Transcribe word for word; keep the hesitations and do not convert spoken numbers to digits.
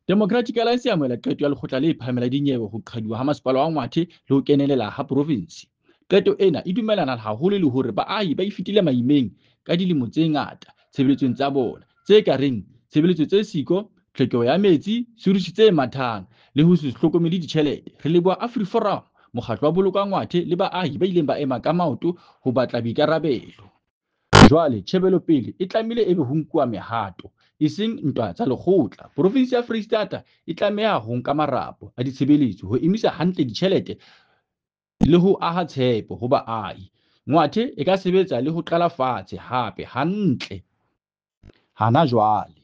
Democratic Alliance e amohela qeto ya Lekgotla le Phahameng la Dinyewe ho qhaduwa ha Masepala wa Ngwathe le ho kenelela ha profinsi. Qeto ena e dumellana haholo le hore baahi ba fetile maimeng ka dilemo tse ngata tshebeletsong tsa bona, tse ka reng tshebeletso tse siko, tlhokeho ya metsi, sewerage tse mathang le ho se hlokomele ditjhelete. Re leboha AfriForum, mokgatlo wa Boloka Ngwathe le baahi ba ileng ba ema ka maoto ho batla boikarabelo. Jwale tjhebelopele e tlamehile ebe ho nkuwa mehato, eseng ntwa tsa lekgotla. Profinsi ya Freistata e tlameha ho nka marapo a ditshebeletso ho emisa hantle ditjhelete le ho aha tshepo ho baahi. Ngwathe e ka sebetsa le ho qala fatshe hape hantle hana jwale.